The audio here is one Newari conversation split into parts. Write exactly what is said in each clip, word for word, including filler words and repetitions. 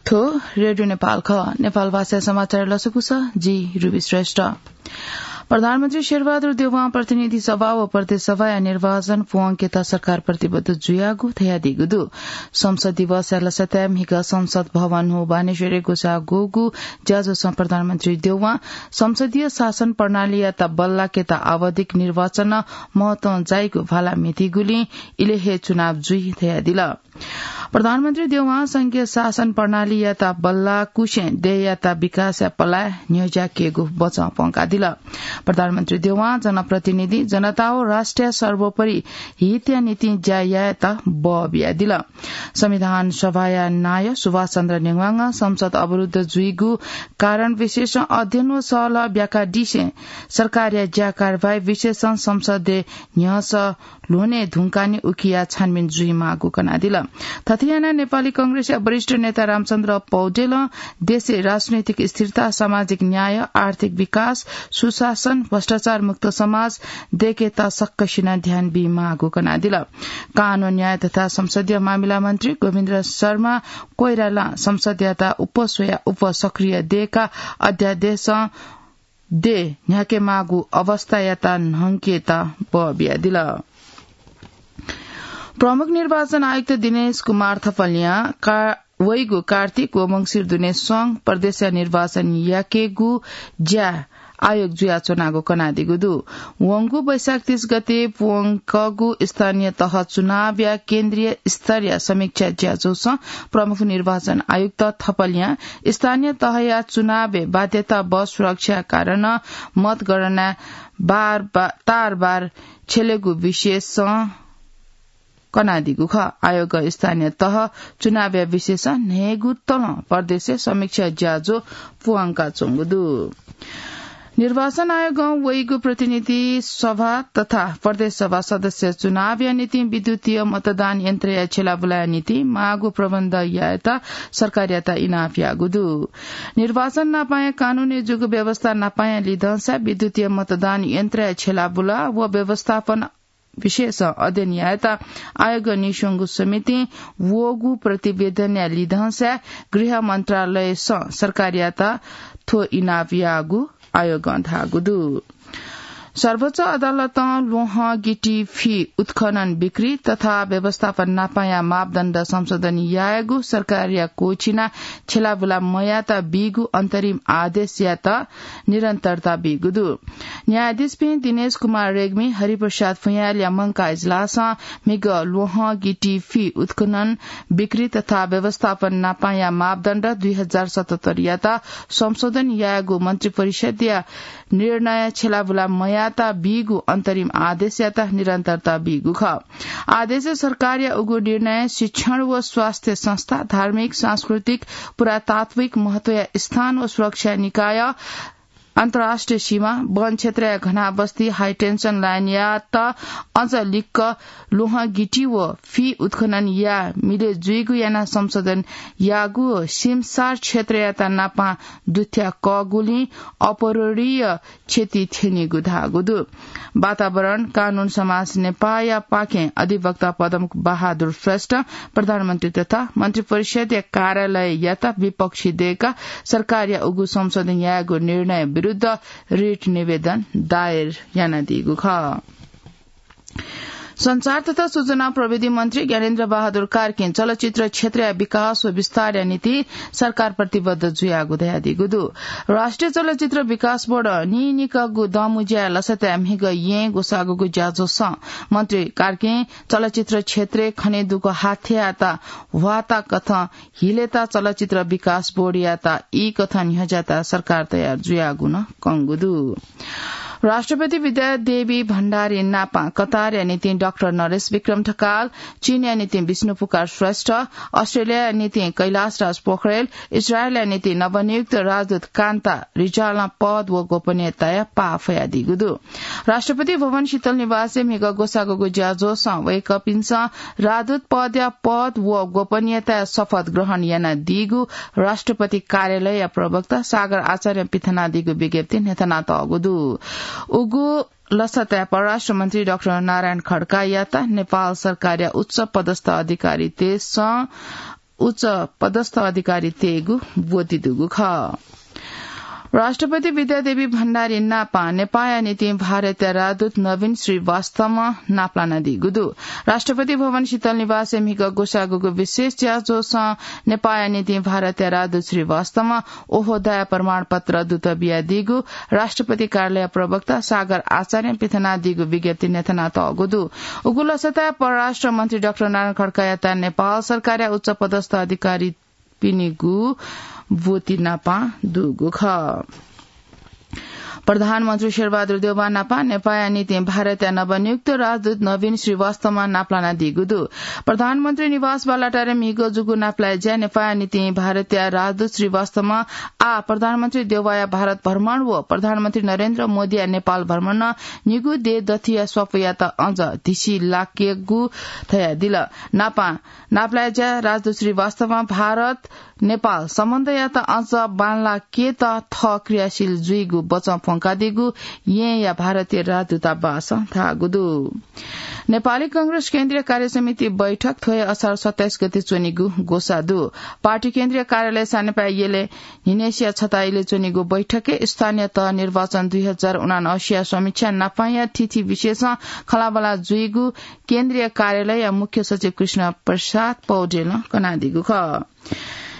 थ्व रेडियो नेपाल खः। नेपाल भाषा समाचार लसकुस, जि रुबी श्रेष्ठ। प्रधानमन्त्री शेरबहादुर देउवां प्रतिनिधि सभा व प्रदेश सभाया निर्वाचन प्वंकेत सरकार प्रतिबद्ध जुयागु धयादीगु दु। संसद दिवसया लसताय् म्हिगः संसद भवन हो बानेश्वरय् ग्वसाः ग्वःगु ज्याझ्वलय् प्रधानमन्त्री देउवां संसदीय शासन प्रणालीयात बल्लाकेत आवधिक निर्वाचनं महत्वं जाइगु भाला म्हितीगुलिं इले हे चुनाव जुइ धयादिल। प्रधानमन्त्री देउवां संघीय शासन प्रणालीयात बल्लाकुसें देय्‌यात विकासया पलाय् न्ह्यज्याकेगु बचं प्वंकादिल। प्रधानमन्त्री देउवां जनप्रतिनिधि, जनता व राष्ट्रिय सर्वोपरि हितया निंतिं ज्या यायेत बः बियादिल। संविधान सभाया नायः सुभाष चन्द्र नेवांगं संसद अवरुद्ध जुइगु कारण विशेष अध्ययन व सहलह ब्याकादिसें सरकारया ज्या कारवाही विशेषं संसदय् न्ह्यसः ल्ह्वने धुंकाः नं उकिया छानबिन जुइमाःगु कनादिल। थथे यानाः नेपाली कांग्रेसया वरिष्ठ नेता रामचन्द्र पौडेलं देशय् राजनैतिक स्थिरता, सामाजिक न्याय, आर्थिक विकास, सुशासन, भ्रष्टाचार मुक्त समाज दयेकेत सकसिनं ध्यान बीमाःगु कनादिल। कानून, न्याय तथा संसदीय मामिला मन्त्री गोविन्द शर्मा कोइरालां संसदयात उपस्वयाः उपसक्रिय दयेकाः अध्यादेशं देय् न्ह्याकेमाःगु अवस्थायात न्हंकेत बः बियादिल। प्रमुख निर्वाचन आयुक्त दिनेश कुमार थपलियां का-, वइगु कार्तिक व मंसिर दुने सं प्रदेशया निर्वाचन याकेगु ज्या आयोग जुयाच्वनागु कनादीगु दु। वंगु वैशाख तीस गते प्वंकःगु स्थानीय तह चुनावया केन्द्रीय स्तरया समीक्षा ज्याझ्वलय् प्रमुख निर्वाचन आयुक्त थपलियां स्थानीय तहया चुनावय् बाध्यता बस सुरक्षा कारणं मतगणना बार बा-, तारबार छ्यलेगु विषयसं कनादीगु खः। आयोगं स्थानीय तह चुनावया विषयसं न्हय्‌गू तलं प्रदेशय् समीक्षा ज्याझ्वः प्वंकाच्वंगु दु। निर्वाचन आयोगं वइगु प्रतिनिधि सभा तथा प्रदेश सभा सदस्य चुनावया निंतिं विद्युतीय मतदान यन्त्रया छ्यलाबुलाया निंतिं माःगु प्रबन्ध यायेत सरकारयात इनाप याःगु दु। निर्वाचन नापांया कानूनय् जूगु व्यवस्था नापांया लिधंसा विद्युतीय मतदान यन्त्रया छ्यलाबुला व व्यवस्थापन विषयसं अध्ययन यायेत आयोगं नीस्वंगु समितिं वःगु प्रतिवेदनया लिधंसा गृह मन्त्रालयसं सरकारयात थ्व इनाप याःगु आयोगं धाःगु दु। सर्वोच्च अदालतं ल्वहं गिटी फि उत्खनन बिक्री तथा व्यवस्थापन नापांया मापदण्ड संशोधन यायेगु सरकारया क्वःछिना छ्यलाबुला मयात बीगु अन्तरिम आदेशयात निरन्तरता बीगु दु। न्यायाधीशपिं दिनेश कुमार रेग्मी, हरिप्रसाद फुयाँलया मंकाः इजलासं म्हिगः ल्वहं गिटी फि उत्खनन बिक्री तथा व्यवस्थापन नापांया मापदण्ड दुई हजार सतहत्तरयात संशोधन यायेगु मन्त्रिपरिषदया निर्णय छ्यलाबुला मयात बीगु अन्तरिम आदेशयात निरन्तरता बीगु खः। आदेशय् सरकारया उगु निर्णय शिक्षण व स्वास्थ्य संस्था, धार्मिक, सांस्कृतिक, पुरातात्विक महत्वया स्थान व सुरक्षा निकाय, अन्तर्राष्ट्रिय सीमा, वन क्षेत्रया घनाबस्ती, हाई टेन्सन लाइनयात अझ लिक्क ल्वहं गिटी व फि उत्खनन याये मिले जुइगु यानाः संशोधन याःगु सिमसार क्षेत्रयात नापां दुथ्याकःगुलिं अपूरणीय क्षति थ्यनीगु धाःगु दु। वातावरण, कानून, समाज नेपाःया पाखें अधिवक्ता पद्म बहादुर श्रेष्ठ प्रधानमन्त्री तथा मन्त्रिपरिषदया कार्यालययात विपक्षी दयेकाः सरकारया उगु संशोधन यायेगु निर्णय विरुद्ध रिट निवेदन दायर यानादीगु खः। सञ्चार तथा सूचना प्रविधि मन्त्री ज्ञानेन्द्र बहादुर कार्कीं चलचित्र क्षेत्रया विकास व विस्तारया निंतिं सरकार प्रतिबद्ध जुयागु धयादीगु दु। राष्ट्रिय चलचित्र विकास बोर्ड नीनिकःगु दँमुँज्याया लसताय् म्हिगः येँ ग्वसाःगुगु ज्याझ्वलय् मन्त्री कार्कीं चलचित्र क्षेत्रय् खनेदुगु हाथ्यायात ह्वाःता कथं हिलेत चलचित्र विकास बोर्डयात ई कथं न्ह्यज्यात सरकार तयार जुयागु नं कंगु दु। राष्ट्रपति विद्या देवी भण्डारी नापां कतारया निंतिं डाक्टर नरेश विक्रम ढकाल, चीनया निंतिं विष्णु पुकार श्रेष्ठ, अस्ट्रेलियाया निंतिं कैलाश राज पोखरेल, इजरायलया निंतिं नवनियुक्त राजदूत कान्ता रिजालं पद व गोपनीयताया पाः फयादीगु दु। राष्ट्रपति भवन शीतल निवासय् म्हिगः ग्वसाःगुगु ज्याझ्वलय् वय्कःपिन्सं राजदूत पदया पद व गोपनीयताया शपथ ग्रहण यानादीगु राष्ट्रपति कार्यालयया प्रवक्ता सागर आचार्यं पिथनादीगु विज्ञप्तिइ न्ह्यथनातःगु दु। उगु लसताय् परराष्ट्र मन्त्री डाक्टर नारायण खड्कायात नेपाल सरकारया उच्च पदस्थ अधिकारीतय्सं उच्च पदस्थ अधिकारी तयेगु ब्वति दुगु खः। राष्ट्रपति विद्यादेवी भण्डारी नापं नेपाःया निंतिं भारतया राजदूत नवीन श्रीवास्तवं नापलानादीगु दु। राष्ट्रपति भवन शीतल निवासय् म्हिगः ग्वसाःगु विशेष ज्याझ्वलय् नेपाःया निंतिं भारतया राजदूत श्रीवास्तवं ओहदाया प्रमाणपत्र दूत बियादीगु राष्ट्रपति कार्यालय प्रवक्ता सागर आचार्यं पिथनादीगु विज्ञप्ति न्ह्यथनातःगु दु। उगु लसताय् परराष्ट्र मन्त्री डाक्टर नारायण खड्कायात नेपाल सरकारया उच्च पदस्थ अधिकारी पिनिगु ब्वति नापं दुगु खः। प्रधानमन्त्री शेरबहादुर देउवा नापं नेपाःया निंतिं भारतया नवनियुक्त राजदूत नवीन श्रीवास्तवं नापलानादीगु दु। प्रधानमन्त्री निवास बालुवाटारय् म्हिगः जूगु नापलाये ज्याय् नेपाःया निंतिं भारतया राजदूत श्रीवास्तवं आः प्रधानमन्त्री देउवाया भारत भ्रमण व प्रधानमन्त्री नरेन्द्र मोदीया नेपाल भ्रमणं निगू देय् दथुया स्वापू यायेत अझ धिसी लाकेगु धयादिल। नापं नापलाये ज्याय् राजदूत श्रीवास्तवं भारत नेपाल सम्बन्धयात अझ बांलाकेत थः क्रियाशील जुइगु बचं प्वंकादीगु येँया भारतीय राजदूतावासं धाःगु दु। नेपाली कांग्रेस केन्द्रीय कार्यसमिति बैठक थ्व हे असार सत्ताइस गते च्वनेगु ग्वसाः दु। पार्टी केन्द्रीय कार्यालय सानेपाय् यलय् न्हिनेसिया छता यलय् च्वनेगु बैठकय् स्थानीय तह निर्वाचन दुई हजार उनान्सयया समीक्षा नापंया थीथी विषयसं खँल्हाबल्हा जुइगु केन्द्रीय कार्यालयया मुख्य सचिव कृष्ण प्रसाद पौडेलं कनादीगु खः।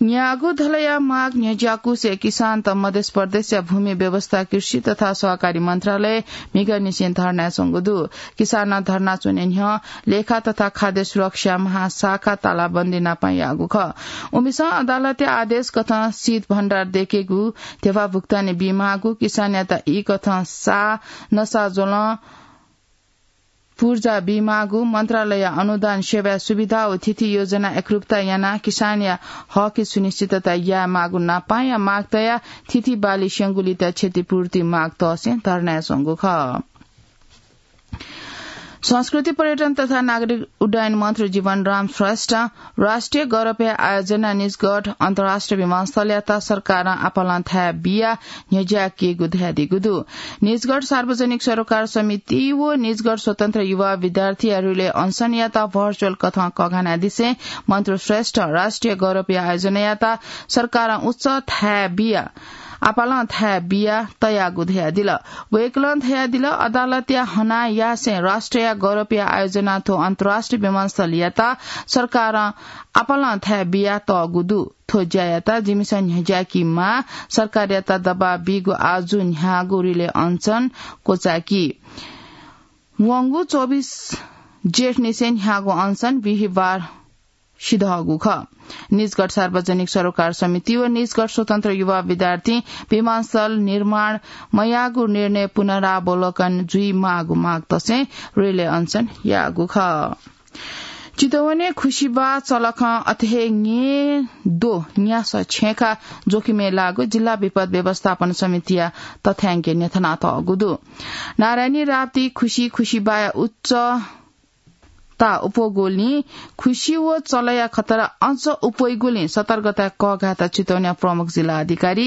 न्यागू धलया माग न्ह्यज्याकुसे किसानत मध्य प्रदेशया भूमि व्यवस्था, कृषि तथा सहकारी मन्त्रालय म्हिगःनिसें धर्नाय् च्वंगु दु। किसानं धर्ना च्वने न्ह्यः लेखा तथा खाद्य सुरक्षा महाशाखा तालाबन्दी नापं याःगु खः। उमिसं अदालतया आदेश कथं शीत भण्डार दयेकेगु, ध्यबा भुक्तानी बीमाःगु, किसानयात ई कथं सा नसाज्वलं पूर्जा बीमाःगु, मन्त्रालय अनुदान सेवा सुविधा व थीथी योजना एकरूपता यानाः किसानया हकि सुनिश्चितता यायेमाःगु नापंया माग तयाः थीथी बाली स्यंगुलित क्षतिपूर्ति माग तःसें धर्नाय् च्वंगु खः। संस्कृति, पर्यटन तथा नागरिक उड्डयन मन्त्री जीवनराम श्रेष्ठं राष्ट्रिय गौरवया आयोजना निजगढ अन्तर्राष्ट्रिय विमानस्थलयात सरकारं आपालं थाय् बियाः न्ह्यज्याकेगु धयादीगु दु। निजगढ सार्वजनिक सरोकार समिति व निजगढ स्वतन्त्र युवा विद्यार्थीया रिले अनसनयात भर्चुअल कथं कःघानादिसें मन्त्री श्रेष्ठं राष्ट्रिय गौरवया आयोजनायात सरकारं उच्च थाय् बियाः आपालं थाय् बियाः तयागु धयादिल। वय्कलं धयादिल, अदालतया हनाः यासें राष्ट्रिय गौरवया आयोजना थ्व अन्तर्राष्ट्रिय विमानस्थलयात सरकारं आपालं थाय् बियातःगु दु। थ्व ज्यायात जिमिसं न्ह्यज्याकेमाः, सरकारयात दबाब बीगु आजु न्ह्याःगु रिले अनसन क्वचाकी। वंगु चौबिस जेठनिसें न्ह्याःगु अनसन बिहिबार सिधःगु खः। निजगढ सार्वजनिक सरोकार समिति व निजगढ स्वतन्त्र युवा विद्यार्थीं विमानस्थल निर्माण मयाःगु निर्णय पुनरावलोकन जुइमाःगु माग तसें रिले अनसन याःगु खः। चितवनय् खुसिबा चलखं अथे हे ङेदो न्यासः छेँखा जोखिमय् लाःगु जिल्ला विपद व्यवस्थापन समितिया तथ्यांकय् न्ह्यथनातःगु दु। नारायणी, राप्ती, खुसि, खुसिबाया उच्च ता उप्वःगुलिं खुसि व चलया खतरा अझ उप्वइगुलिं सतर्कताय् कःघायेत चितवनया प्रमुख जिल्ला अधिकारी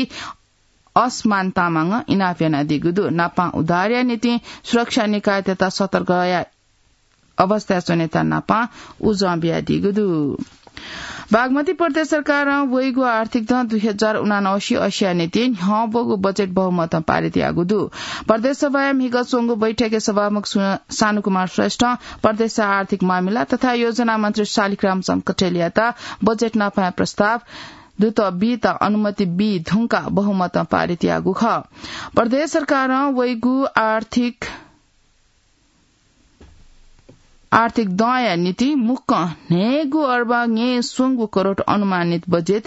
असमान तामाङं इनाप यानादीगु दु। नापं उद्धारया निंतिं सुरक्षा निकायतय्त सतर्कया अवस्थाय् च्वनेत नापं उजं बियादीगु दु। बागमती प्रदेश सरकारं वइगु आर्थिक दँ दुई हजार उनान्सय अस्सीया निंतिं न्ह्यब्वःगु बजेट बहुमतं पारित याःगु दु। प्रदेश सभाया म्हिगः च्वंगु बैठकय् सभामुख सु-, सानुकुमार श्रेष्ठं प्रदेशया आर्थिक मामिला तथा योजना मन्त्री शालिग्राम चन्द्र कटेलयात बजेट नापंया प्रस्ताव दूत बीत अनुमति बी धुंकाः बहुमतं पारित याःगु खः। प्रदेश सरकारं वइगु आर्थिक आर्थिक दँया निंतिं मुक्कं न्हय्गू अर्ब ङय् स्वंगू करोड अनुमानित बजेट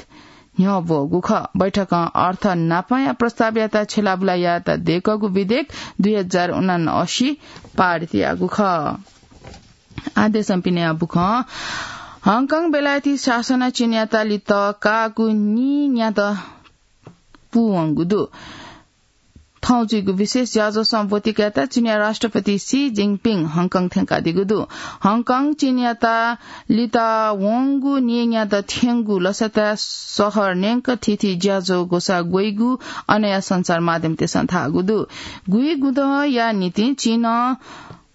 न्ह्यब्वःगु खः। बैठकं अर्थ नापंया प्रस्तावयात छ्यलाबुला यायेत दय्कःगु विधेयक दुई हजार उनान्सय पारित याःगु खः। आदेशं पिने अबुखं हङकङ बेलायती शासनं चीनयात लित काःगु नीन्यादँ पूवंगु दु। थौं जुइगु विशेष ज्याझ्वलय् ब्वति कायेत चीनया राष्ट्रपति सी जिनपिङ हङकङ थ्यंकादीगु दु। हङकङ चीनयात लित वंगु नीन्यादँ थ्यंगु लसताय् शहर न्यंक थीथी ज्याझ्वः ग्वसाः ग्वइगु अनया सञ्चार माध्यमतय्सं धाःगु दु। गुइगुदँया निंतिं चीनं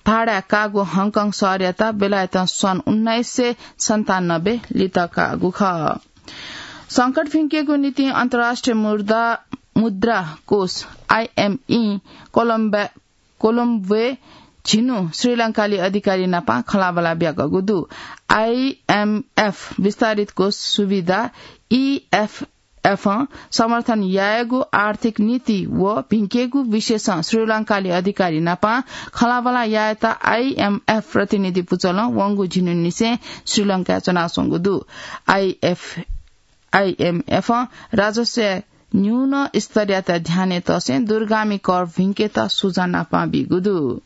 भाडाय् काःगु हङकङ शहरयात बेलायतं सन् उन्नाइस सय सन्तानब्बे लित काःगु खः। संकट भिंकेगु निंतिं अन्तर्राष्ट्रिय मुद्रा, मुद्रा कोष, आईएमई, कोलम्बे-, कोलम्बोय् झिन्हु श्रीलंकाली अधिकारी नापं खँल्हाबल्हा ब्याकःगु दु। आईएमएफ विस्तारित कोष सुविधा, ईएफएफं समर्थन यायेगु आर्थिक नीति व भिंकेगु विषयसं श्रीलंकाली अधिकारी नापं खँल्हाबल्हा यायेत आईएमएफ प्रतिनिधि पुचलं वंगु झिन्हुनिसें श्रीलंकाय् च्वनाच्वंगु दु। आईएफ, आईएमएफं राजस्वया न्यून स्तरयात ध्यानय् तसें दूरगामी कर भिंकेत सुझाव नापं बीगु दु।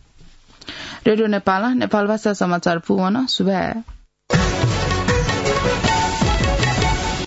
रेडियो नेपालं नेपालभाषा समाचार पूवन। सुभाय्।